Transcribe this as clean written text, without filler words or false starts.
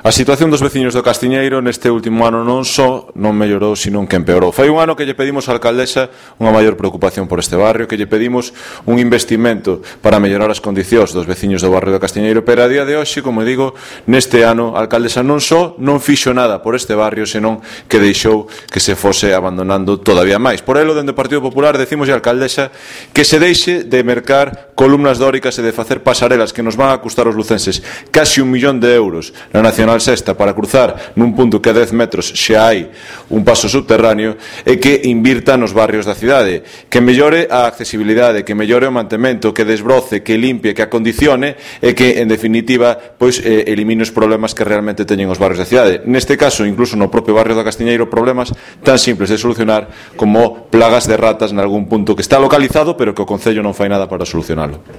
A situación dos veciños do Castiñeiro neste último ano non só non mellorou, sino que empeorou. Foi un ano que lle pedimos á alcaldesa unha maior preocupación por este barrio, que lle pedimos un investimento para mellorar as condicións dos veciños do barrio do Castiñeiro, pero a día de hoxe, como digo, neste ano a alcaldesa non só non fixo nada por este barrio, senón que deixou que se fose abandonando todavía máis. Por elo, dende o Partido Popular, decimos á alcaldesa que se deixe de mercar columnas dóricas e de facer pasarelas que nos van a custar aos lucenses casi 1 millón de euros na Nacional Sexta para cruzar nun punto que a 10 metros xa hai un paso subterráneo, e que invirta nos barrios da cidade, que mellore a accesibilidade, que mellore o mantemento, que desbroce, que limpie, que acondicione e que, en definitiva, pois elimine os problemas que realmente teñen os barrios da cidade. Neste caso, incluso no propio barrio do Castiñeiro, problemas tan simples de solucionar como plagas de ratas nalgún punto que está localizado pero que o Concello non fai nada para solucionalo.